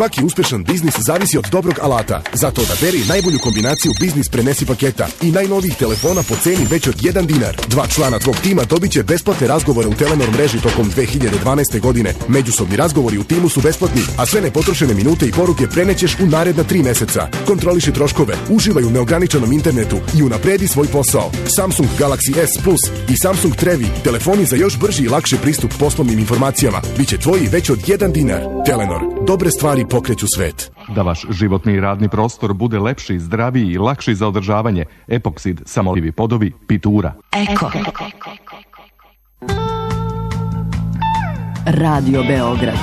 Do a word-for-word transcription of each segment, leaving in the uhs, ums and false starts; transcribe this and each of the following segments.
Svaki uspešan biznis zavisi od dobrog alata. Zato odaberi najbolju kombinaciju biznis prenesi paketa i najnovijih telefona po ceni već od jedan dinar. Dva člana tvog tima dobit će besplatne razgovore u Telenor mreži tokom dve hiljade dvanaeste. godine. Međusobni razgovori u timu su besplatni, a sve nepotrošene minute i poruke prenećeš u naredna tri meseca. Kontroliši troškove, uživaj u neograničenom internetu i unapredi svoj posao. Samsung Galaxy S Plus i Samsung Trevi, telefoni za još brži i lakši pristup poslovnim informacijama, biće tvoji već od jedan dinar. Telenor, dobre stvari pokreću svet. Da vaš životni i radni prostor bude lepši, zdraviji i lakši za održavanje, Epoksid, samolivi podovi, Pitura. Eko. Radio Beograd.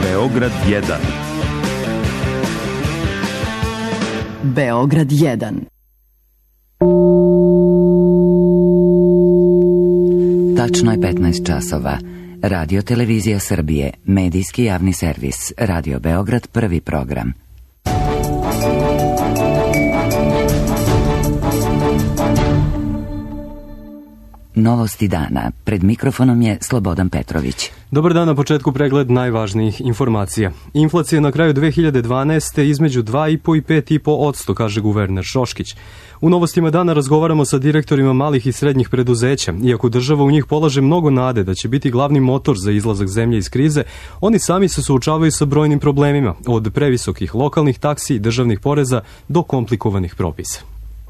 Beograd jedan. Beograd jedan. Tačno je petnaest časova. Radio Televizija Srbije, medijski javni servis, Radio Beograd, prvi program. Novosti dana. Pred mikrofonom je Slobodan Petrović. Dobar dan, na početku pregled najvažnijih informacija. Inflacija na kraju dve hiljade dvanaeste. između dva i po i pet i po odsto, kaže guverner Šoškić. U novostima dana razgovaramo sa direktorima malih i srednjih preduzeća. Iako država u njih polaže mnogo nade da će biti glavni motor za izlazak zemlje iz krize, oni sami se suočavaju sa brojnim problemima, od previsokih lokalnih taksi i državnih poreza do komplikovanih propisa.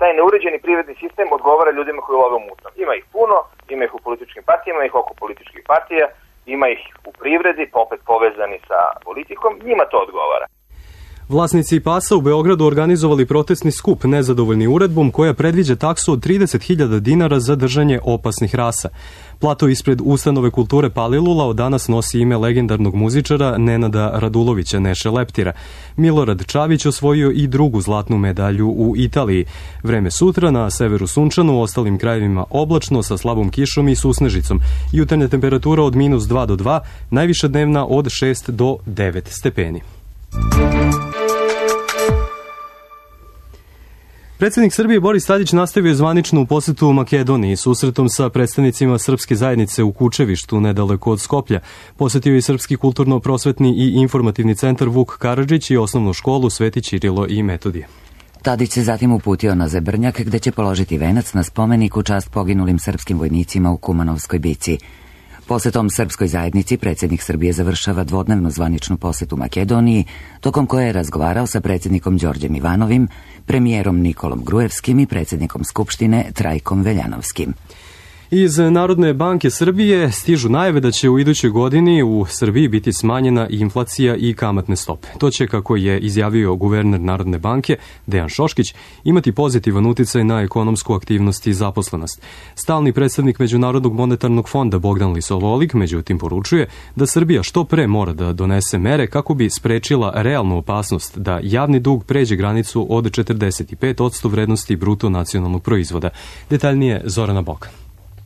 Taj neuređeni privredni sistem odgovara ljudima koji love u mutnom. Ima ih puno, ima ih u političkim partijama, ima ih oko političkih partija, ima ih u privredi, pa opet povezani sa politikom, njima to odgovara. Vlasnici pasa u Beogradu organizovali protestni skup nezadovoljni uredbom koja predviđa taksu od trideset hiljada dinara za držanje opasnih rasa. Plato ispred ustanove kulture Palilula od danas nosi ime legendarnog muzičara Nenada Radulovića Neše Leptira. Milorad Čavić osvojio i drugu zlatnu medalju u Italiji. Vreme sutra na severu sunčano, u ostalim krajevima oblačno sa slabom kišom i susnežicom. Jutarnja temperatura od minus dva do dva, najviša dnevna od šest do devet stepeni. Predsjednik Srbije Boris Tadić nastavio je zvaničnu posetu u Makedoniji susretom sa predstavnicima srpske zajednice u Kučevištu, nedaleko od Skoplja. Posetio je Srpski kulturno-prosvetni i informativni centar Vuk Karadžić i osnovnu školu Sveti Ćirilo i Metodije. Tadić se zatim uputio na Zebrnjak gde će položiti venac na spomenik u čast poginulim srpskim vojnicima u Kumanovskoj bici. Posetom srpskoj zajednici predsjednik Srbije završava dvodnevnu zvaničnu posetu Makedoniji, tokom koje je razgovarao sa predsjednikom Đorđem Ivanovim, premijerom Nikolom Grujevskim i predsjednikom Skupštine Trajkom Veljanovskim. Iz Narodne banke Srbije stižu najave da će u idućoj godini u Srbiji biti smanjena inflacija i kamatne stope. To će, kako je izjavio guverner Narodne banke Dejan Šoškić, imati pozitivan uticaj na ekonomsku aktivnost i zaposlenost. Stalni predstavnik Međunarodnog monetarnog fonda Bogdan Lisololik, međutim, poručuje da Srbija što pre mora da donese mere kako bi sprečila realnu opasnost da javni dug pređe granicu od četrdeset pet posto vrednosti bruto nacionalnog proizvoda. Detaljnije Zorana Bokan.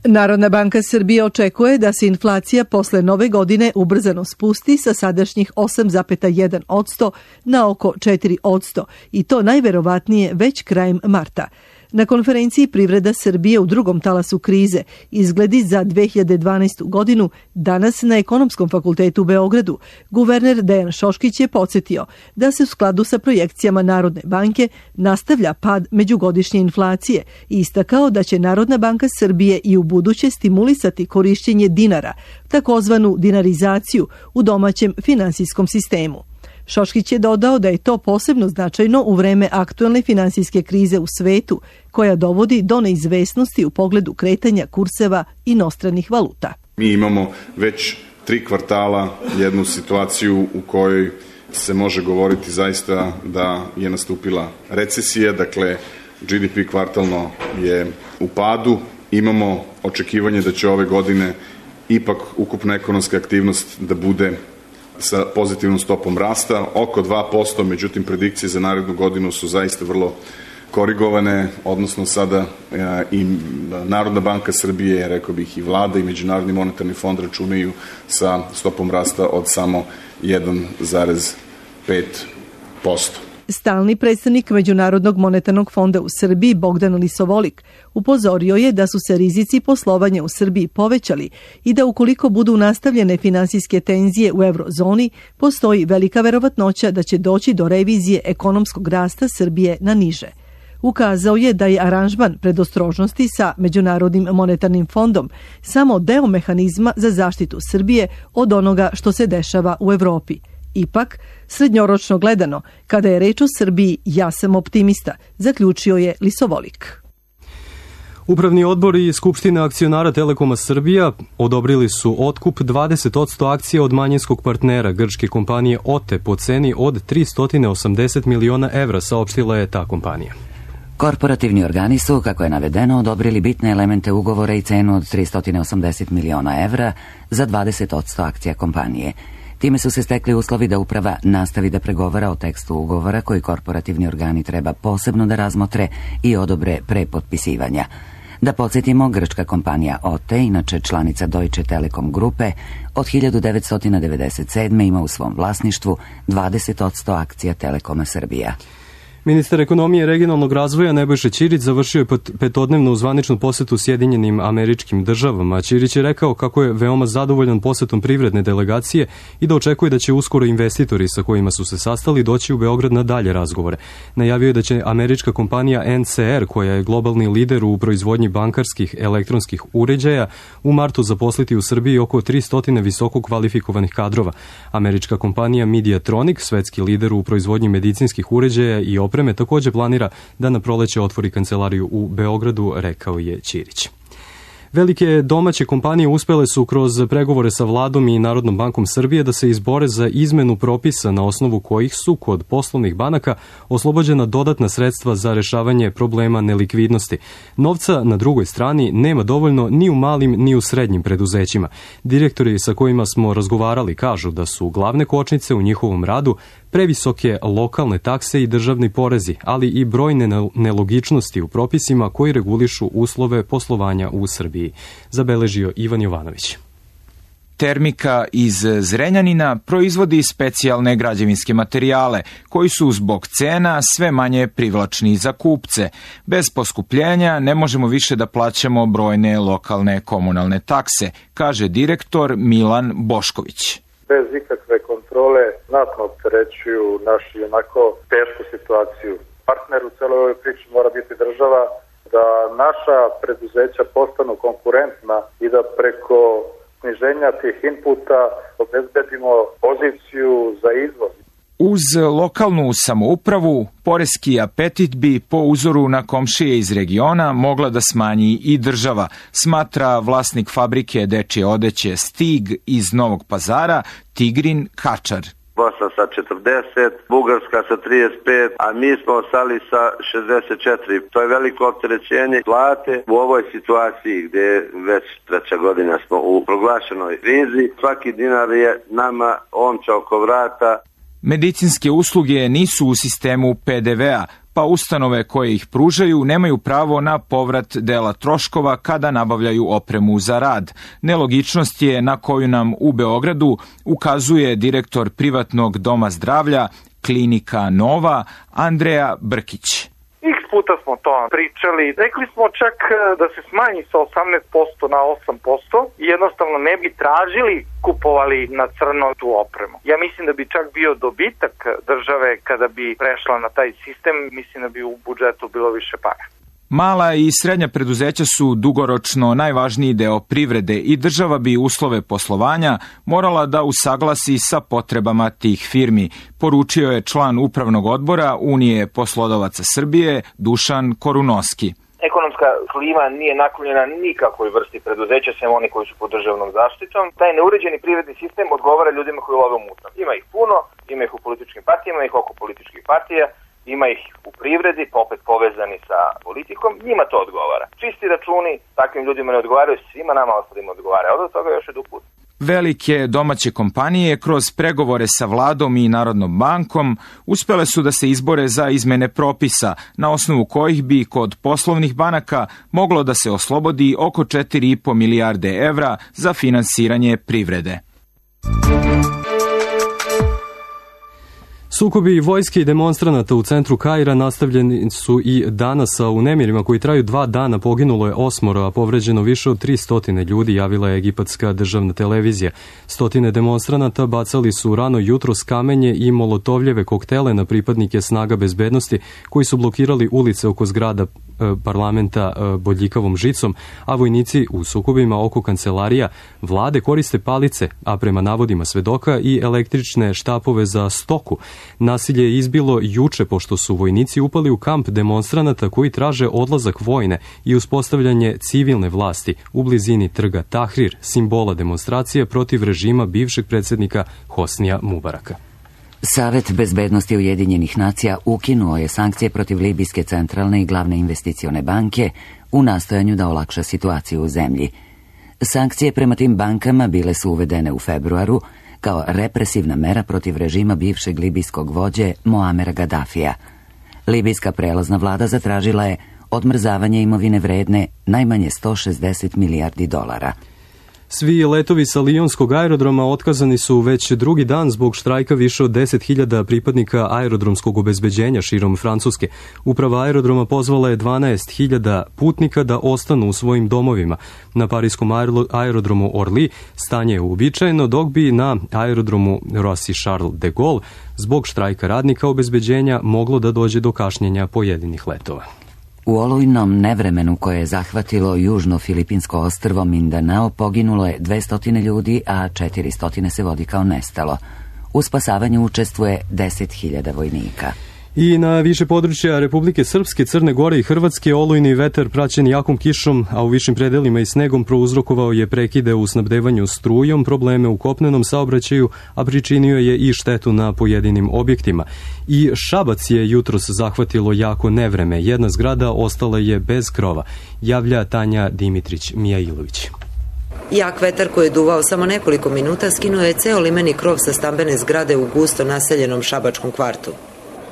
Narodna banka Srbije očekuje da se inflacija posle nove godine ubrzano spusti sa sadašnjih osam zarez jedan posto na oko četiri posto i to najverovatnije već krajem marta. Na konferenciji Privreda Srbije u drugom talasu krize izgledi za dve hiljade dvanaestu. godinu danas na Ekonomskom fakultetu u Beogradu guverner Dejan Šoškić je podsjetio da se u skladu sa projekcijama Narodne banke nastavlja pad međugodišnje inflacije i istakao da će Narodna banka Srbije i u buduće stimulisati korišćenje dinara, takozvanu dinarizaciju u domaćem finansijskom sistemu. Šoškić je dodao da je to posebno značajno u vreme aktuelne finansijske krize u svetu, koja dovodi do neizvesnosti u pogledu kretanja kurseva inostranih valuta. Mi imamo već tri kvartala jednu situaciju u kojoj se može govoriti zaista da je nastupila recesija, dakle G D P kvartalno je u padu. Imamo očekivanje da će ove godine ipak ukupna ekonomska aktivnost da bude sa pozitivnom stopom rasta, oko dva posto, međutim predikcije za narednu godinu su zaista vrlo korigovane, odnosno sada i Narodna banka Srbije, rekao bih i vlada i Međunarodni monetarni fond računaju sa stopom rasta od samo jedan zarez pet posto. Stalni predstavnik Međunarodnog monetarnog fonda u Srbiji Bogdan Lisovolik upozorio je da su se rizici poslovanja u Srbiji povećali i da ukoliko budu nastavljene finansijske tenzije u eurozoni, postoji velika verovatnoća da će doći do revizije ekonomskog rasta Srbije na niže. Ukazao je da je aranžman predostrožnosti sa Međunarodnim monetarnim fondom samo deo mehanizma za zaštitu Srbije od onoga što se dešava u Evropi. Ipak, srednjoročno gledano, kada je reč o Srbiji, ja sam optimista, zaključio je Lisovolik. Upravni odbor i Skupština akcionara Telekoma Srbija odobrili su otkup dvadeset posto akcija od manjinskog partnera grčke kompanije O T E po ceni od tristo osamdeset miliona evra, saopštila je ta kompanija. Korporativni organi su, kako je navedeno, odobrili bitne elemente ugovora i cenu od tristo osamdeset miliona evra za dvadeset posto akcija kompanije. Time su se stekli uslovi da uprava nastavi da pregovara o tekstu ugovora koji korporativni organi treba posebno da razmotre i odobre pre potpisivanja. Da podsjetimo, grčka kompanija O T E, inače članica Deutsche Telekom grupe, od hiljadu devetsto devedeset sedme. ima u svom vlasništvu dvadeset posto akcija Telekoma Srbija. Ministar ekonomije i regionalnog razvoja Nebojša Ćirić završio je petodnevnu zvaničnu posetu Sjedinjenim Američkim Državama. Ćirić je rekao kako je veoma zadovoljan posetom privredne delegacije i da očekuje da će uskoro investitori sa kojima su se sastali doći u Beograd na dalje razgovore. Najavio je da će američka kompanija N C R, koja je globalni lider u proizvodnji bankarskih elektronskih uređaja, u martu zaposliti u Srbiji oko tristo visoko kvalifikovanih kadrova. Američka kompanija Mediatronic, svetski lider u proizvodnji medicinskih uređaja i opreme, također planira da na proleće otvori kancelariju u Beogradu, rekao je Ćirić. Velike domaće kompanije uspele su kroz pregovore sa vladom i Narodnom bankom Srbije da se izbore za izmenu propisa na osnovu kojih su kod poslovnih banaka oslobođena dodatna sredstva za rešavanje problema nelikvidnosti. Novca na drugoj strani nema dovoljno ni u malim ni u srednjim preduzećima. Direktori sa kojima smo razgovarali kažu da su glavne kočnice u njihovom radu previsoke lokalne takse i državni porezi, ali i brojne nelogičnosti u propisima koji regulišu uslove poslovanja u Srbiji, zabeležio Ivan Jovanović. Termika iz Zrenjanina proizvodi specijalne građevinske materijale koji su zbog cena sve manje privlačni za kupce. Bez poskupljenja ne možemo više da plaćamo brojne lokalne komunalne takse, kaže direktor Milan Bošković. Bez ikakve kontrole znatno opterećuju našu onako tešku situaciju. Partner u celoj ovoj priči mora biti država, da naša preduzeća postanu konkurentna i da preko sniženja tih inputa obezbedimo poziciju za izvoz. Uz lokalnu samoupravu, poreski apetit bi po uzoru na komšije iz regiona mogla da smanji i država, smatra vlasnik fabrike dečje odeće Stig iz Novog Pazara, Tigrin Kačar. Bosna sa četrdeset, Bugarska sa trideset pet, a mi smo ostali sa šezdeset četiri. To je veliko opterećenje plate u ovoj situaciji gdje već treća godina smo u proglašenoj krizi. Svaki dinar je nama omča oko vrata. Medicinske usluge nisu u sistemu P D V-a, pa ustanove koje ih pružaju nemaju pravo na povrat dela troškova kada nabavljaju opremu za rad. Nelogičnost je na koju nam u Beogradu ukazuje direktor privatnog doma zdravlja Klinika Nova, Andreja Brkić. X puta smo to pričali. Rekli smo čak da se smanji sa osamnaest posto na osam posto i jednostavno ne bi tražili, kupovali na crno tu opremu. Ja mislim da bi čak bio dobitak države kada bi prešla na taj sistem, mislim da bi u budžetu bilo više para. Mala i srednja preduzeća su dugoročno najvažniji deo privrede i država bi uslove poslovanja morala da usaglasi sa potrebama tih firmi, poručio je član upravnog odbora Unije poslodavaca Srbije Dušan Korunoski. Ekonomska klima nije naklonjena nikakvoj vrsti preduzeća, sem oni koji su pod državnom zaštitom. Taj neuređeni privredni sistem odgovara ljudima koji love u mutnom. Ima ih puno, ima ih u političkim partijama, ima ih oko političkih partija, ima ih u privredi, opet povezani sa politikom, njima to odgovara. Čisti računi takvim ljudima ne odgovaraju, svima nama ostalima odgovaraju, od toga još je dug put. Velike domaće kompanije kroz pregovore sa vladom i Narodnom bankom uspele su da se izbore za izmene propisa, na osnovu kojih bi kod poslovnih banaka moglo da se oslobodi oko četiri i po milijarde evra za finansiranje privrede. Sukobi vojske i demonstranata u centru Kaira nastavljeni su i danas, a u nemirima koji traju dva dana poginulo je osmoro, a povređeno više od tri stotine ljudi, javila je egipatska državna televizija. Stotine demonstranata bacali su rano jutros kamenje i molotovljeve koktele na pripadnike snaga bezbednosti koji su blokirali ulice oko zgrada parlamenta bodljikavom žicom, a vojnici u sukobima oko kancelarija vlade koriste palice, a prema navodima svedoka i električne štapove za stoku. Nasilje je izbilo juče pošto su vojnici upali u kamp demonstranata koji traže odlazak vojne i uspostavljanje civilne vlasti u blizini trga Tahrir, simbola demonstracije protiv režima bivšeg predsjednika Hosnija Mubaraka. Savet bezbednosti Ujedinjenih nacija ukinuo je sankcije protiv Libijske centralne i glavne investicione banke u nastojanju da olakša situaciju u zemlji. Sankcije prema tim bankama bile su uvedene u februaru kao represivna mera protiv režima bivšeg libijskog vođe Moamera Gaddafija. Libijska prelazna vlada zatražila je odmrzavanje imovine vredne najmanje sto šezdeset milijardi dolara. Svi letovi sa Lijonskog aerodroma otkazani su već drugi dan zbog štrajka više od deset hiljada pripadnika aerodromskog obezbeđenja širom Francuske. Uprava aerodroma pozvala je dvanaest hiljada putnika da ostanu u svojim domovima. Na parijskom aerodromu Orly stanje je uobičajeno, dok bi na aerodromu Roissy Charles de Gaulle zbog štrajka radnika obezbeđenja moglo da dođe do kašnjenja pojedinih letova. U olujnom nevremenu koje je zahvatilo južno filipinsko ostrvo Mindanao poginulo je dvesta ljudi, a četiristo se vodi kao nestalo. U spasavanju učestvuje deset hiljada vojnika. I na više područja Republike Srpske, Crne Gore i Hrvatske olujni vetar praćen jakom kišom, a u višim predelima i snegom prouzrokovao je prekide u snabdevanju strujom, probleme u kopnenom saobraćaju, a pričinio je i štetu na pojedinim objektima. I Šabac je jutros zahvatilo jako nevreme. Jedna zgrada ostala je bez krova, javlja Tanja Dimitrić-Mijailović. Jak vetar koji je duvao samo nekoliko minuta skinuo je ceo limeni krov sa stambene zgrade u gusto naseljenom šabačkom kvartu.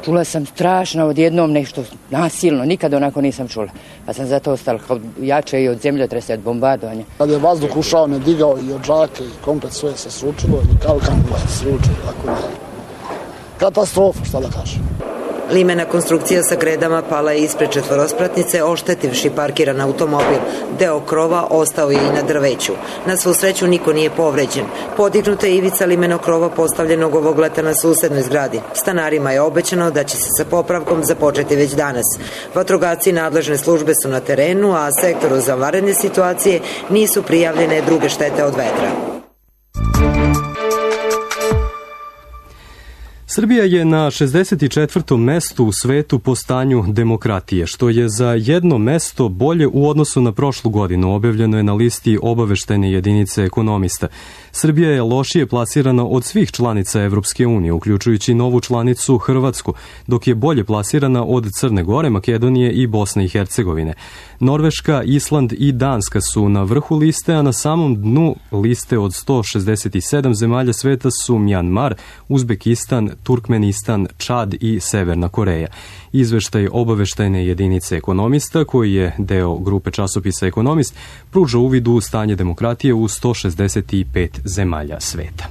Čula sam strašno odjednom nešto nasilno, nikada onako nisam čula. Pa sam zato ostala jače i od zemljotresa, od bombardovanja. Kad je vazduh ušao, me digao i od žake i komplet sve se sručilo i kalkan se sručilo. Tako da, katastrofa, šta da kažem. Limena konstrukcija sa gredama pala je ispred četvorospratnice, oštetivši parkiran automobil. Deo krova ostao je i na drveću. Na svu sreću niko nije povređen. Podignuta je ivica limeno krova postavljenog ovog leta na susednoj zgradi. Stanarima je obećano da će se sa popravkom započeti već danas. Vatrogasci i nadležne službe su na terenu, a sektoru za vanredne situacije nisu prijavljene druge štete od vetra. Srbija je na šezdeset četvrtom mestu u svetu po stanju demokratije, što je za jedno mesto bolje u odnosu na prošlu godinu, objavljeno je na listi obaveštene jedinice ekonomista. Srbija je lošije plasirana od svih članica Evropske unije, uključujući novu članicu Hrvatsku, dok je bolje plasirana od Crne Gore, Makedonije i Bosne i Hercegovine. Norveška, Island i Danska su na vrhu liste, a na samom dnu liste od sto šezdeset sedam zemalja sveta su Mjanmar, Uzbekistan, Turkmenistan, Čad i Severna Koreja. Izveštaj obaveštajne jedinice ekonomista, koji je deo grupe časopisa Ekonomist, pruža uvid u stanje demokratije u sto šezdeset pet zemalja sveta.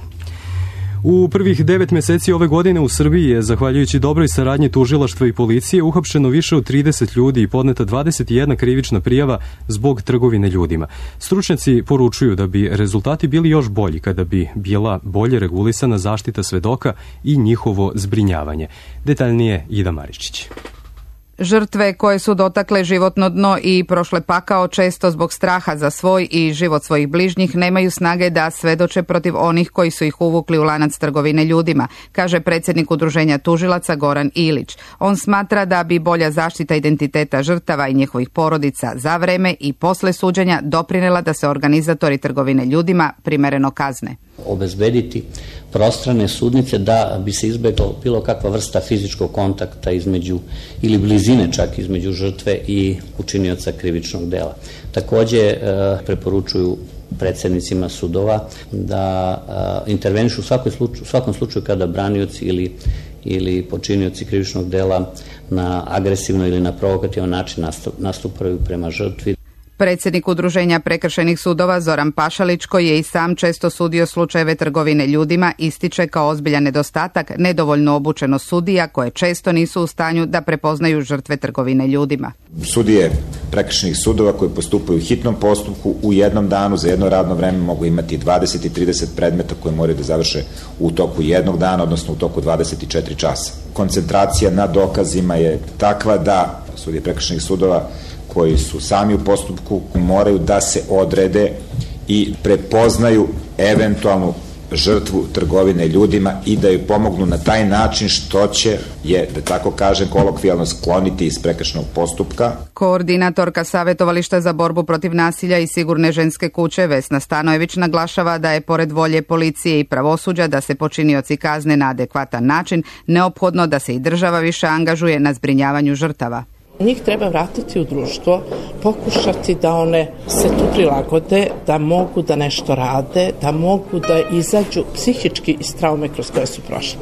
U prvih devet meseci ove godine u Srbiji je, zahvaljujući dobroj saradnji tužilaštva i policije, uhapšeno više od trideset ljudi i podneta dvadeset jedna krivična prijava zbog trgovine ljudima. Stručnjaci poručuju da bi rezultati bili još bolji kada bi bila bolje regulisana zaštita svedoka i njihovo zbrinjavanje. Detaljnije Ida Maričić. Žrtve koje su dotakle životno dno i prošle pakao često zbog straha za svoj i život svojih bližnjih nemaju snage da svedoče protiv onih koji su ih uvukli u lanac trgovine ljudima, kaže predsjednik Udruženja tužilaca Goran Ilić. On smatra da bi bolja zaštita identiteta žrtava i njihovih porodica za vreme i posle suđenja doprinela da se organizatori trgovine ljudima primereno kazne. Obezbediti prostrane sudnice da bi se izbeglo bilo kakva vrsta fizičkog kontakta između ili blizine čak između žrtve i učinioca krivičnog dela. Takođe preporučuju predsednicima sudova da intervenišu u svakom slučaju kada branioci ili ili počinioci krivičnog dela na agresivno ili na provokativan način nastupaju prema žrtvi. Predsjednik Udruženja prekršajnih sudova Zoran Pašalić, koji je i sam često sudio slučajeve trgovine ljudima, ističe kao ozbiljan nedostatak nedovoljno obučenost sudija koje često nisu u stanju da prepoznaju žrtve trgovine ljudima. Sudije prekršajnih sudova koji postupaju u hitnom postupku u jednom danu za jedno radno vreme mogu imati dvadeset i trideset predmeta koje moraju da završe u toku jednog dana, odnosno u toku dvadeset četiri časa. Koncentracija na dokazima je takva da sudije prekršajnih sudova koji su sami u postupku moraju da se odrede i prepoznaju eventualnu žrtvu trgovine ljudima i da joj pomognu na taj način što će je, da tako kažem, kolokvijalno skloniti iz prekršajnog postupka. Koordinatorka Savjetovališta za borbu protiv nasilja i sigurne ženske kuće Vesna Stanojević naglašava da je pored volje policije i pravosuđa da se počinioci kazne na adekvatan način neophodno da se i država više angažuje na zbrinjavanju žrtava. Njih treba vratiti u društvo, pokušati da one se tu prilagode, da mogu da nešto rade, da mogu da izađu psihički iz traume kroz koje su prošle.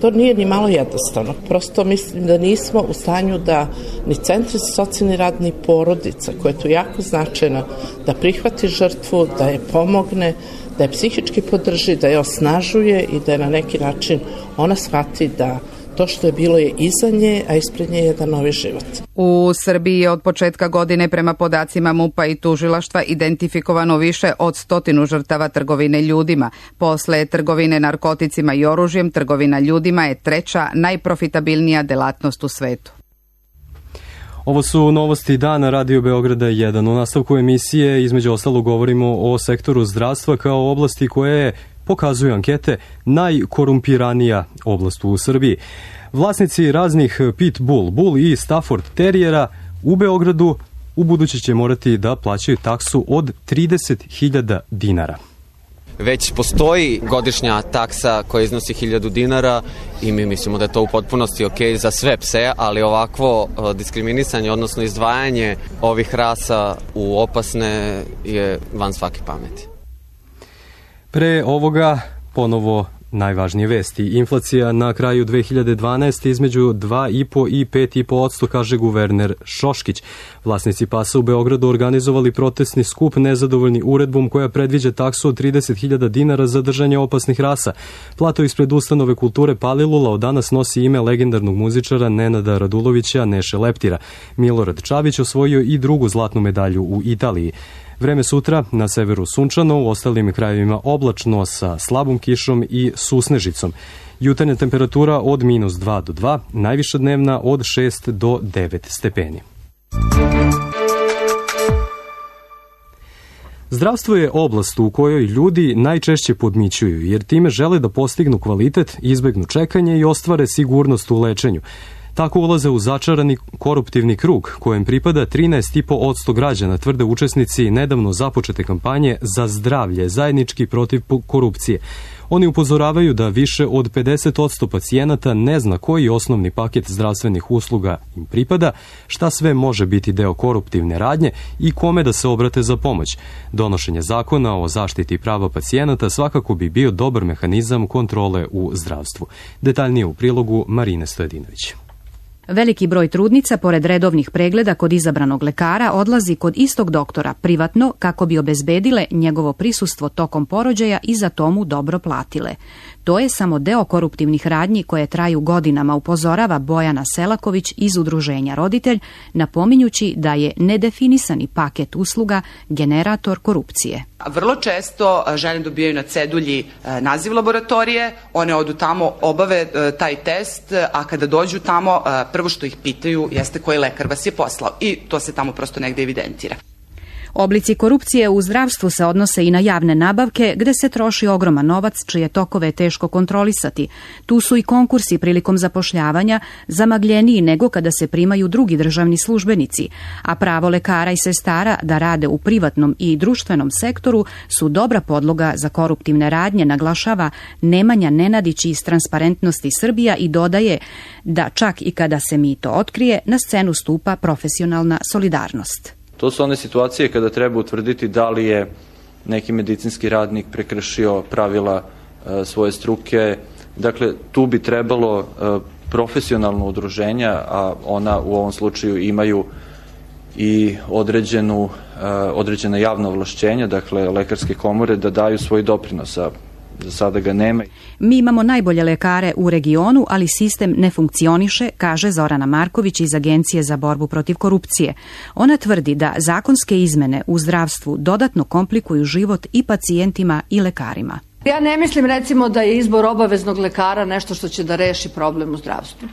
To nije ni malo jednostavno. Prosto mislim da nismo u stanju da ni centri za socijalni rad ni porodica, koja je tu jako značajna, da prihvati žrtvu, da je pomogne, da je psihički podrži, da je osnažuje i da je na neki način ona shvati da to što je bilo je iza nje, a ispred nje je jedan novi život. U Srbiji je od početka godine prema podacima MUP-a i tužilaštva identifikovano više od stotinu žrtava trgovine ljudima. Posle trgovine narkoticima i oružjem, trgovina ljudima je treća najprofitabilnija delatnost u svetu. Ovo su novosti dana Radio Beograda jedan. U nastavku emisije između ostalog govorimo o sektoru zdravstva kao oblasti koje je, pokazuju ankete, najkorumpiranija oblast u Srbiji. Vlasnici raznih Pitbull, Bull i Stafford terijera u Beogradu u buduće će morati da plaćaju taksu od trideset hiljada dinara. Već postoji godišnja taksa koja iznosi hiljadu dinara i mi mislimo da je to u potpunosti ok za sve pse, ali ovakvo diskriminisanje, odnosno izdvajanje ovih rasa u opasne je van svake pameti. Pre ovoga ponovo najvažnije vesti. Inflacija na kraju dve hiljade dvanaeste između dva i po i pet i po posto, kaže guverner Šoškić. Vlasnici pasa u Beogradu organizovali protestni skup nezadovoljni uredbom koja predviđa taksu od trideset hiljada dinara za držanje opasnih rasa. Plato ispred ustanove kulture Palilula od danas nosi ime legendarnog muzičara Nenada Radulovića Neše Leptira. Milorad Čavić osvojio i drugu zlatnu medalju u Italiji. Vreme sutra, na severu sunčano, u ostalim krajevima oblačno sa slabom kišom i susnežicom. Jutarnja temperatura od minus dva do dva, najviša dnevna od šest do devet stepeni. Zdravstvo je oblast u kojoj ljudi najčešće podmićuju, jer time žele da postignu kvalitet, izbegnu čekanje i ostvare sigurnost u lečenju. Tako ulaze u začarani koruptivni krug, kojem pripada trinaest i po posto građana, tvrde učesnici nedavno započete kampanje za zdravlje, zajednički protiv korupcije. Oni upozoravaju da više od pedeset posto pacijenata ne zna koji osnovni paket zdravstvenih usluga im pripada, šta sve može biti deo koruptivne radnje i kome da se obrate za pomoć. Donošenje zakona o zaštiti prava pacijenata svakako bi bio dobar mehanizam kontrole u zdravstvu. Detaljnije u prilogu Marine Stojedinović. Veliki broj trudnica, pored redovnih pregleda kod izabranog lekara, odlazi kod istog doktora privatno kako bi obezbedile njegovo prisustvo tokom porođaja i za to mu dobro platile. To je samo deo koruptivnih radnji koje traju godinama, upozorava Bojana Selaković iz udruženja Roditelj, napominjući da je nedefinisani paket usluga generator korupcije. Vrlo često žene dobijaju na cedulji naziv laboratorije, one odu tamo, obave taj test, a kada dođu tamo, prvo što ih pitaju jeste koji lekar vas je poslao i to se tamo prosto negde evidentira. Oblici korupcije u zdravstvu se odnose i na javne nabavke, gde se troši ogroman novac, čije tokove je teško kontrolisati. Tu su i konkursi prilikom zapošljavanja, zamagljeniji nego kada se primaju drugi državni službenici, a pravo lekara i sestara da rade u privatnom i društvenom sektoru su dobra podloga za koruptivne radnje, naglašava Nemanja Nenadić iz Transparentnosti Srbija i dodaje da čak i kada se mito otkrije, na scenu stupa profesionalna solidarnost. To su one situacije kada treba utvrditi da li je neki medicinski radnik prekršio pravila e, svoje struke. Dakle, tu bi trebalo e, profesionalno udruženja, a ona u ovom slučaju imaju i određenu, određena javna ovlašćenja, dakle lekarske komore, da daju svoj doprinos, a za sada ga nema. Mi imamo najbolje lekare u regionu, ali sistem ne funkcioniše, kaže Zorana Marković iz Agencije za borbu protiv korupcije. Ona tvrdi da zakonske izmene u zdravstvu dodatno komplikuju život i pacijentima i lekarima. Ja ne mislim recimo da je izbor obaveznog lekara nešto što će da reši problem u zdravstvu.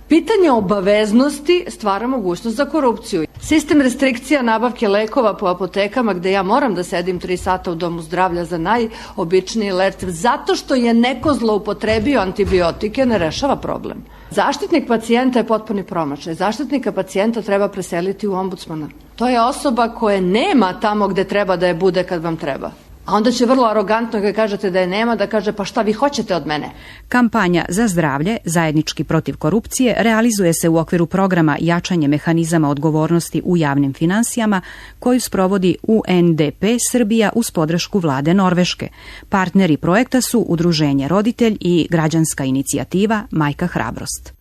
Pitanje obaveznosti stvara mogućnost za korupciju. Sistem restrikcija nabavke lekova po apotekama gde ja moram da sedim tri sata u domu zdravlja za najobičniji lek zato što je neko zloupotrebio antibiotike ne rešava problem. Zaštitnik pacijenta je potpuni promašaj. Zaštitnika pacijenta treba preseliti u ombudsmana. To je osoba koja nema tamo gde treba da je bude kad vam treba. A onda će vrlo arogantno kad kažete da je nema, da kaže pa šta vi hoćete od mene? Kampanja za zdravlje, zajednički protiv korupcije, realizuje se u okviru programa Jačanje mehanizama odgovornosti u javnim finansijama koju sprovodi U N D P Srbija uz podršku vlade Norveške. Partneri projekta su Udruženje Roditelj i građanska inicijativa Majka Hrabrost.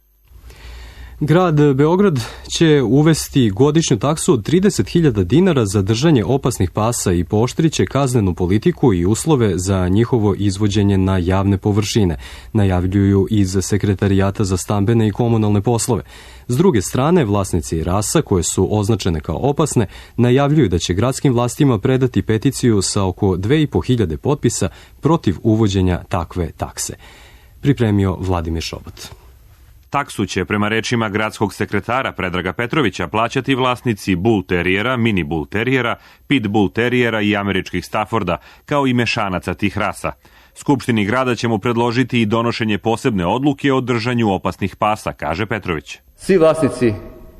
Grad Beograd će uvesti godišnju taksu od trideset hiljada dinara za držanje opasnih pasa i pooštriće kaznenu politiku i uslove za njihovo izvođenje na javne površine, najavljuju iz Sekretarijata za stambene i komunalne poslove. S druge strane, vlasnici rasa koje su označene kao opasne najavljuju da će gradskim vlastima predati peticiju sa oko dve i po hiljade potpisa protiv uvođenja takve takse. Pripremio Vladimir Šobot. Taksu će, prema rečima gradskog sekretara Predraga Petrovića, plaćati vlasnici bull terijera, mini bull terijera, pit bull terijera i američkih Stafforda, kao i mešanaca tih rasa. Skupštini grada ćemo predložiti i donošenje posebne odluke o držanju opasnih pasa, kaže Petrović. Svi vlasnici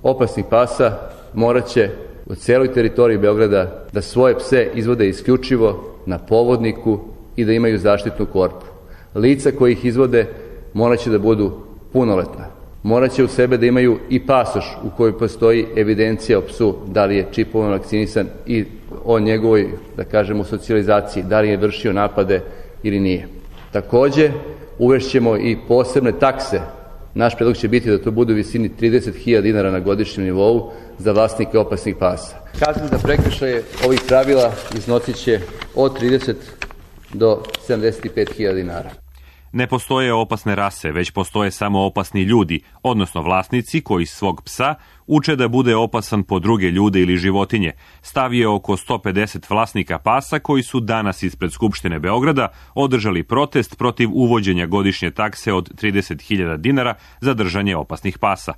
opasnih pasa morat će u celoj teritoriji Beograda da svoje pse izvode isključivo na povodniku i da imaju zaštitnu korpu. Lica koji ih izvode morat će da budu punoletna. Morat će u sebe da imaju i pasoš u kojoj postoji evidencija o psu, da li je čipovan, vakcinisan i o njegovoj, da kažemo, socijalizaciji, da li je vršio napade ili nije. Takođe, uvešćemo i posebne takse. Naš predlog će biti da to bude u visini trideset hiljada dinara na godišnjem nivou za vlasnike opasnih pasa. Kazne za prekršaje ovih pravila iznosit će od trideset do sedamdeset pet hiljada dinara. Ne postoje opasne rase, već postoje samo opasni ljudi, odnosno vlasnici koji svog psa uče da bude opasan po druge ljude ili životinje. Stav je oko sto pedeset vlasnika pasa koji su danas ispred Skupštine Beograda održali protest protiv uvođenja godišnje takse od trideset hiljada dinara za držanje opasnih pasa.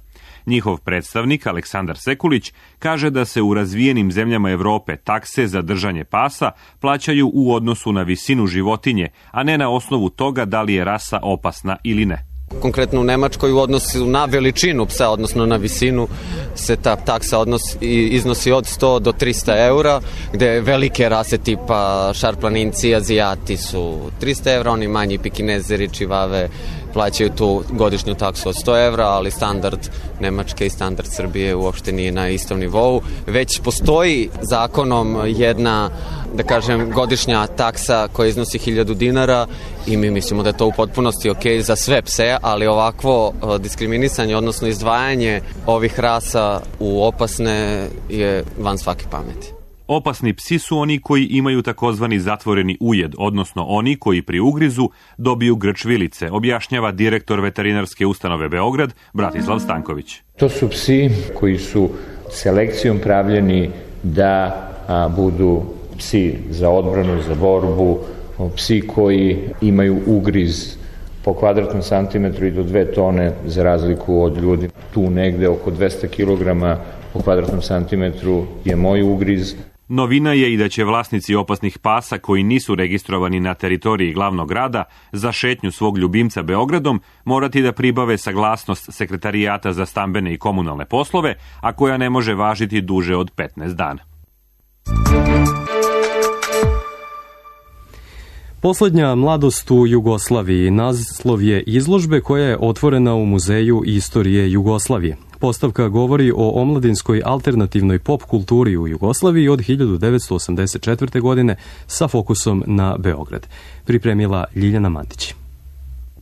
Njihov predstavnik, Aleksandar Sekulić, kaže da se u razvijenim zemljama Evrope takse za držanje pasa plaćaju u odnosu na visinu životinje, a ne na osnovu toga da li je rasa opasna ili ne. Konkretno u Nemačkoj u odnosu na veličinu psa, odnosno na visinu, se ta taksa odnosi, iznosi od sto do trista eura, gde velike rase tipa šarplaninci, azijati su trista evra, oni manji pikinezeri, čivave plaćaju tu godišnju taksu od sto evra, ali standard Nemačke i standard Srbije uopšte nije na istom nivou. Već postoji zakonom jedna, da kažem, godišnja taksa koja iznosi hiljadu dinara i mi mislimo da je to u potpunosti ok za sve pse, ali ovakvo diskriminisanje, odnosno izdvajanje ovih rasa u opasne je van svake pameti. Opasni psi su oni koji imaju takozvani zatvoreni ujed, odnosno oni koji pri ugrizu dobiju grč vilice, objašnjava direktor veterinarske ustanove Beograd, Bratislav Stanković. To su psi koji su selekcijom pravljeni da a, budu psi za odbranu, za borbu, psi koji imaju ugriz po kvadratnom santimetru i do dve tone za razliku od ljudi. Tu negde oko dvesta kilograma po kvadratnom santimetru je moj ugriz. Novina je i da će vlasnici opasnih pasa koji nisu registrovani na teritoriji glavnog grada za šetnju svog ljubimca Beogradom morati da pribave saglasnost Sekretarijata za stambene i komunalne poslove, a koja ne može važiti duže od petnaest dana. Poslednja mladost u Jugoslaviji naslov je izložbe koja je otvorena u Muzeju istorije Jugoslavije. Postavka govori o omladinskoj alternativnoj pop kulturi u Jugoslaviji od hiljadu devetsto osamdeset četvrte. godine sa fokusom na Beograd. Pripremila Ljiljana Mantić.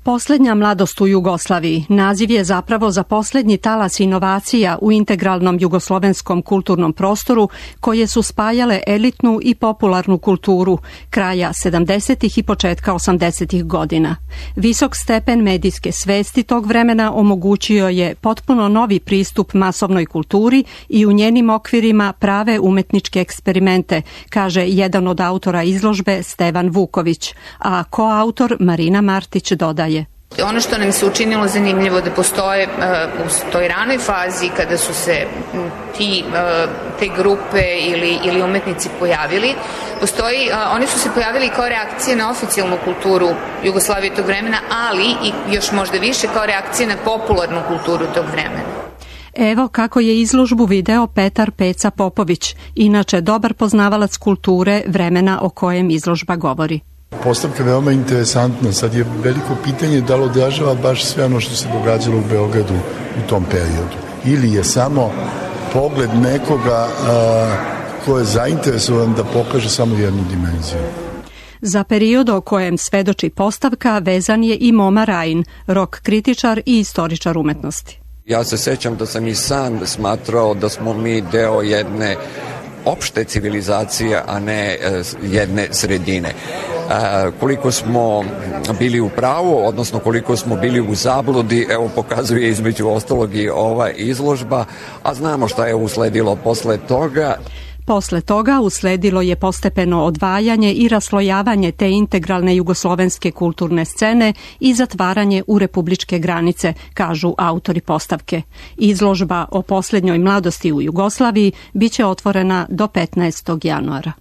Poslednja mladost u Jugoslaviji naziv je zapravo za poslednji talas inovacija u integralnom jugoslovenskom kulturnom prostoru koje su spajale elitnu i popularnu kulturu kraja sedamdesetih i početka osamdesetih godina. Visok stepen medijske svesti tog vremena omogućio je potpuno novi pristup masovnoj kulturi i u njenim okvirima prave umetničke eksperimente, kaže jedan od autora izložbe Stevan Vuković, a koautor Marina Martić dodaje. Ono što nam se učinilo zanimljivo da postoje uh, u toj ranoj fazi kada su se ti, uh, te grupe ili, ili umetnici pojavili, postoji, uh, oni su se pojavili kao reakcije na oficijalnu kulturu Jugoslavije tog vremena, ali i još možda više kao reakcije na popularnu kulturu tog vremena. Evo kako je izložbu video Petar Peca Popović, inače dobar poznavalac kulture vremena o kojem izložba govori. Postavka je veoma interesantna. Sad je veliko pitanje da li odražava baš sve ono što se događalo u Beogradu u tom periodu. Ili je samo pogled nekoga a, ko je zainteresovan da pokaže samo jednu dimenziju. Za period o kojem svedoči postavka vezan je i Moma Rajin, rok kritičar i istoričar umetnosti. Ja se sećam da sam i sam smatrao da smo mi deo jedne opšte civilizacije, a ne jedne sredine. E, koliko smo bili u pravu, odnosno koliko smo bili u zabludi, evo pokazuje između ostalog i ova izložba, a znamo šta je usledilo posle toga. Posle toga usledilo je postepeno odvajanje i raslojavanje te integralne jugoslovenske kulturne scene i zatvaranje u republičke granice, kažu autori postavke. Izložba o posljednjoj mladosti u Jugoslaviji biće otvorena do petnaestog januara.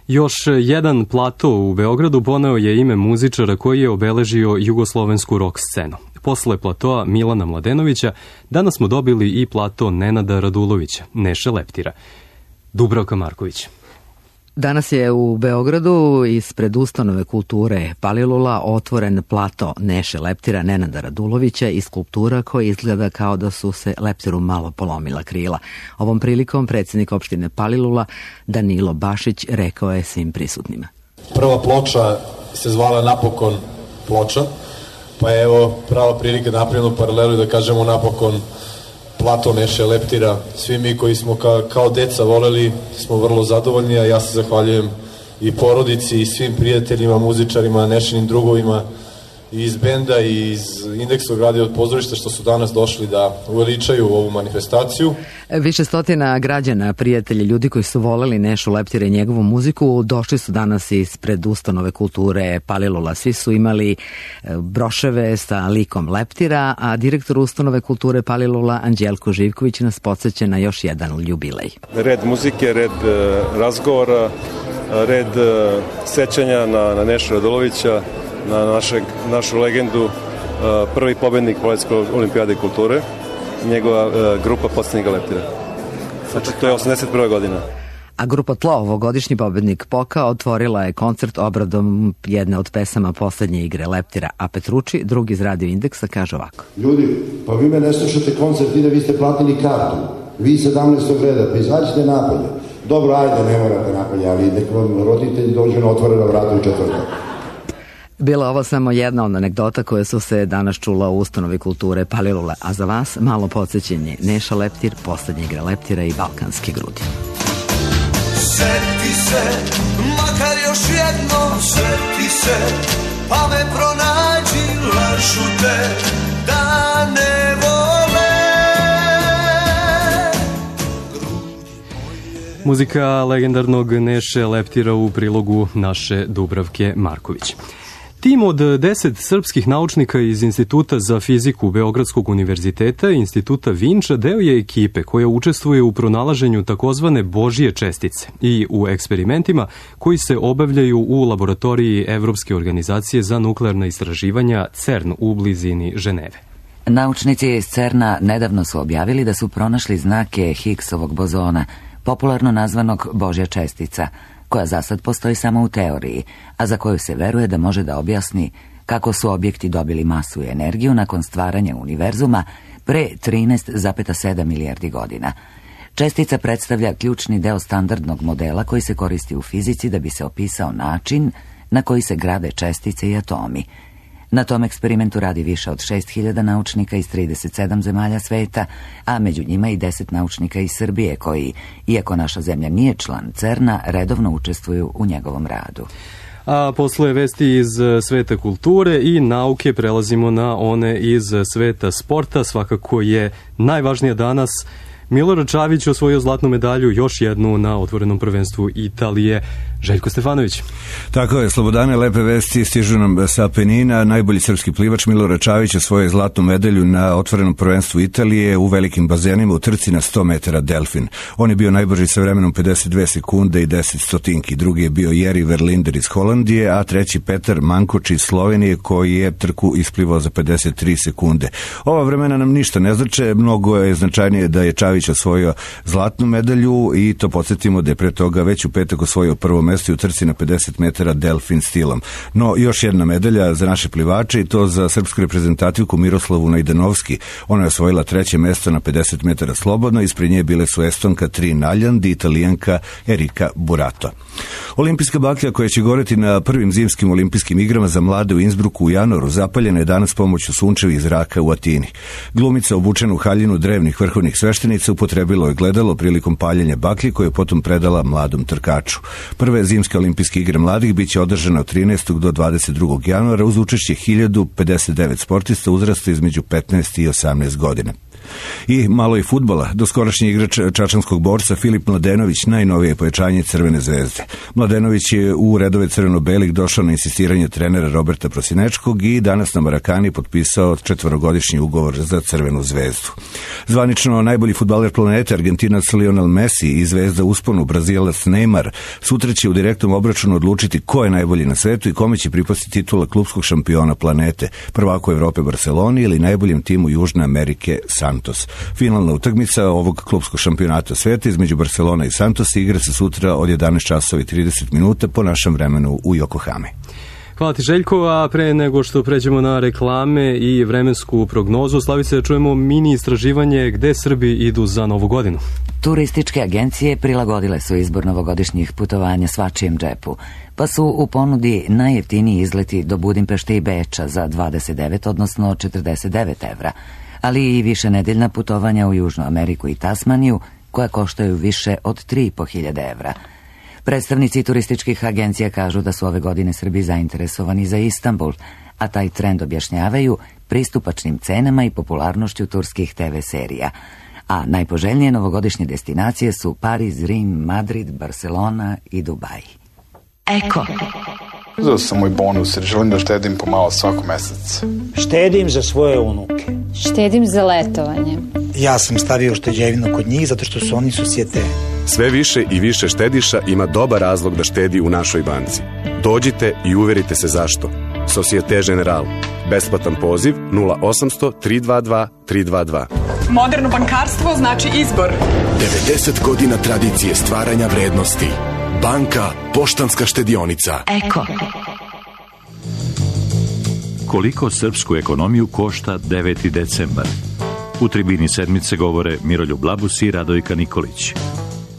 Još jedan plato u Beogradu poneo je ime muzičara koji je obeležio jugoslovensku rock scenu. Posle platoa Milana Mladenovića danas smo dobili i plato Nenada Radulovića, Neše Leptira. Dubravka Marković. Danas je u Beogradu ispred ustanove kulture Palilula otvoren plato Neše Leptira Nenada Radulovića i skulptura koja izgleda kao da su se Leptiru malo polomila krila. Ovom prilikom predsjednik opštine Palilula Danilo Bašić rekao je svim prisutnima. Prva ploča se zvala napokon ploča, pa je evo prava prilika da napravimo paralelu i da kažemo napokon plato Neše Leptira. Svi mi koji smo ka, kao deca voleli smo vrlo zadovoljni, a ja se zahvaljujem i porodici i svim prijateljima, muzičarima, Nešinim drugovima i iz benda i iz Indeksog radio pozorišta što su danas došli da uveličaju ovu manifestaciju. Više stotina građana, prijatelji, ljudi koji su voleli Nešu Leptira i njegovu muziku došli su danas ispred ustanove kulture Palilula. Svi su imali broševe sa likom Leptira, a direktor ustanove kulture Palilula Anđelko Živković nas podsjeća na još jedan jubilej. Red muzike, red razgovora, red sećanja na, na Nešu Radulovića, na našeg, našu legendu, prvi pobednik Poletske olimpijade kulture, njegova grupa Podsjetnika Leptira. Znači, to je osamdeset prva godina. A grupa Tlo, ovogodišnji pobednik Poka, otvorila je koncert obradom jedne od pesama poslednje igre Leptira, a Petruči, drugi iz Radio Indeksa, kaže ovako. Ljudi, pa vi me ne slušate koncert i da vi ste platili kartu. Vi sedamnaestog reda, pa izađite napolje. Dobro, ajde, ne morate napolje, ali nek vam roditelji dođu na otvorena vrata u četvrtak. Bila ovo samo jedna od anegdota koje su se danas čula u ustanovi kulture Palilula, a za vas malo podsjećenje. Neša Leptir, poslednja igra Leptira i Balkanske grudi. Seti se, makar još jedno, seti se, pa me pronađi, lažu te, da ne vole. Muzika legendarnog Neše Leptira u prilogu naše Dubravke Marković. Tim od deset srpskih naučnika iz Instituta za fiziku Beogradskog univerziteta i Instituta Vinča deo je ekipe koja učestvuje u pronalaženju takozvane Božje čestice i u eksperimentima koji se obavljaju u laboratoriji Evropske organizacije za nuklearna istraživanja CERN u blizini Ženeve. Naučnici iz CERN-a nedavno su objavili da su pronašli znake Higgsovog bozona, popularno nazvanog Božja čestica, koja za sad postoji samo u teoriji, a za koju se veruje da može da objasni kako su objekti dobili masu i energiju nakon stvaranja univerzuma pre trinaest zarez sedam milijardi godina. Čestica predstavlja ključni deo standardnog modela koji se koristi u fizici da bi se opisao način na koji se grade čestice i atomi. Na tom eksperimentu radi više od šest hiljada naučnika iz trideset sedam zemalja sveta, a među njima i deset naučnika iz Srbije koji, iako naša zemlja nije član CERN-a, redovno učestvuju u njegovom radu. A posle vesti iz sveta kulture i nauke prelazimo na one iz sveta sporta. Svakako je najvažnija danas Milorad Čavić osvojio zlatnu medalju, još jednu na otvorenom prvenstvu Italije. Željko Stefanović. Tako je, Slobodane, lepe vesti stižu nam sa Apenina. Najbolji srpski plivač Milorad Čavić osvojio zlatnu medalju na otvorenom prvenstvu Italije u velikim bazenima u trci na sto metara delfin. On je bio najbrži sa vremenom pedeset dve sekunde i deset stotinki. Drugi je bio Jeri Verlinder iz Holandije, a treći Petar Mankoč iz Slovenije koji je trku isplivao za pedeset tri sekunde. Ova vremena nam ništa ne znače, mnogo je značajnije da je Čavić osvojio zlatnu medalju i to podsjetimo da je pre toga već u petak osvojio prvo mesto u trci na pedeset metara delfin stilom. No, još jedna medalja za naše plivače i to za srpsku reprezentativku Miroslavu Najdanovski. Ona je osvojila treće mesto na pedeset metara slobodno, ispred nje bile su Estonka Trin Aljan i Italijanka Erika Burato. Olimpijska baklja koja će goreti na prvim zimskim olimpijskim igrama za mlade u Innsbrucku u januaru zapaljena je danas pomoću sunčevih zraka u Atini. Glumica obučena u haljinu drevnih vrhovnih sveštenica upotrebilo je gledalo prilikom paljenja baklje koje je potom predala mladom trkaču. Prve zimske olimpijske igre mladih biće održane od trinaestog do dvadeset drugog januara uz učešće hiljadu pedeset devet sportista uzrasta između petnaest i osamnaest godina. I malo i fudbala. Doskorašnji igrač čačanskog borca Filip Mladenović najnovije pojačanje Crvene zvezde. Mladenović je u redove crveno-belih došao na insistiranje trenera Roberta Prosinečkog i danas na Marakani potpisao četvorogodišnji ugovor za Crvenu zvezdu. Zvanično najbolji fudbaler planete Argentinac Lionel Messi i zvezda usponu Brazilac Neymar sutra će u direktnom obračunu odlučiti ko je najbolji na svetu i kome će pripasti titula klubskog šampiona planete, prvaku Evrope Barceloni ili najboljem timu Južne Amerike Santos. Finalna utakmica ovog klubskog šampionata sveta između Barcelona i Santos igra se sutra od jedanaest časova i trideset minuta po našem vremenu u Yokohami. Hvala ti, Željko, a pre nego što pređemo na reklame i vremensku prognozu, Slavice, čujemo mini istraživanje gde Srbi idu za Novu godinu. Turističke agencije prilagodile su izbor novogodišnjih putovanja svačijem džepu, pa su u ponudi najjeftiniji izleti do Budimpešte i Beča za dvadeset devet, odnosno četrdeset devet evra, ali i više nedeljna putovanja u Južnu Ameriku i Tasmaniju, koja koštaju više od tri i po hiljade evra. Predstavnici turističkih agencija kažu da su ove godine Srbi zainteresovani za Istanbul, a taj trend objašnjavaju pristupačnim cenama i popularnošću turskih te ve serija. A najpoželjnije novogodišnje destinacije su Pariz, Rim, Madrid, Barcelona i Dubaj. Eko. Uzeo sam moj bonus jer želim da štedim pomalo svako mesec. Štedim za svoje unuke. Štedim za letovanje. Ja sam stavio šteđevinu kod njih zato što su oni susjete. Sve više i više štediša ima dobar razlog da štedi u našoj banci. Dođite i uverite se zašto. Societe General. Besplatan poziv nula osamsto tri dva dva tri dva dva. Moderno bankarstvo znači izbor. devedeset godina tradicije stvaranja vrednosti. Banka Poštanska štedionica. Eko. Koliko srpsku ekonomiju košta deveti decembar? U tribini sedmice govore Miroljub Labus i Radojka Nikolić.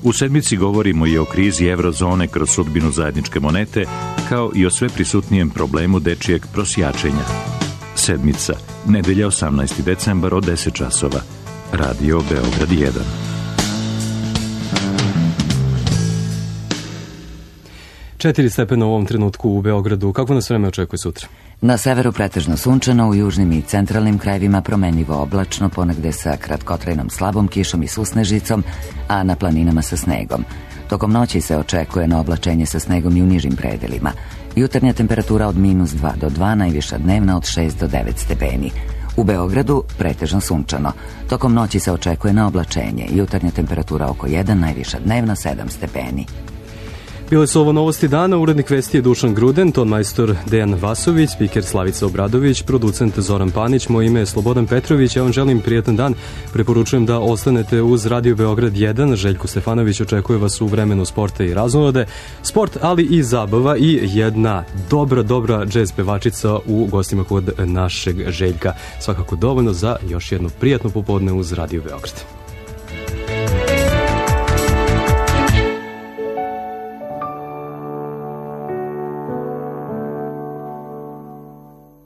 U sedmici govorimo i o krizi eurozone kroz sudbinu zajedničke monete, kao i o sve prisutnijem problemu dečijeg prosjačenja. Sedmica, nedelja osamnaesti decembar od deset časova. Radio Beograd jedan. Četiri stepena u ovom trenutku u Beogradu. Kako nas vreme očekuje sutra? Na severu pretežno sunčano, u južnim i centralnim krajevima promenljivo oblačno, ponegde sa kratkotrajnom slabom kišom i susnežicom, a na planinama sa snegom. Tokom noći se očekuje na oblačenje sa snegom i u nižim predelima. Jutarnja temperatura od minus dva do dva, najviša dnevna od šest do devet stepeni. U Beogradu pretežno sunčano. Tokom noći se očekuje na oblačenje. Jutarnja temperatura oko jedan, najviša dnevna sedam stepeni. Bile su ovo novosti dana, urednik vesti je Dušan Gruden, ton majstor Dejan Vasović, spiker Slavica Obradović, producent Zoran Panić, moje ime je Slobodan Petrović, ja vam želim prijetan dan, preporučujem da ostanete uz Radio Beograd jedan, Željko Stefanović očekuje vas u vremenu sporta i raznolade, sport ali i zabava i jedna dobra, dobra džez pevačica u gostima kod našeg Željka, svakako dovoljno za još jednu prijatnu popodne uz Radio Beograd.